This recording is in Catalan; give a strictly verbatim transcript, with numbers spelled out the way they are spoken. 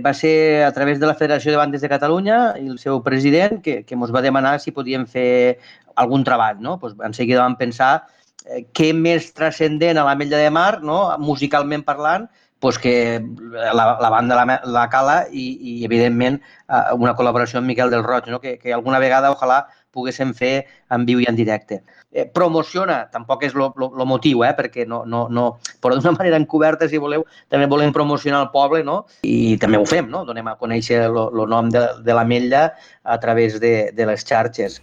Va ser a través de la Federació de Bandes de Catalunya i el seu president que, que ens va demanar si podíem fer algun treball. No? Pues, en seguida vam pensar eh, què més transcendent a l'Ametlla de Mar, no? Musicalment parlant, pues que la, la banda la, la Cala i, i evidentment, una col·laboració amb Miquel del Roig, no? que, que alguna vegada, ojalà, poguéssim fer en viu i en directe. Eh, promociona, tampoc és el motiu, eh? perquè no, no, no, però d'una manera encoberta, si voleu, també volem promocionar el poble, no? I també ho fem, no? Donem a conèixer el nom de, de l'Ametlla a través de, de les xarxes.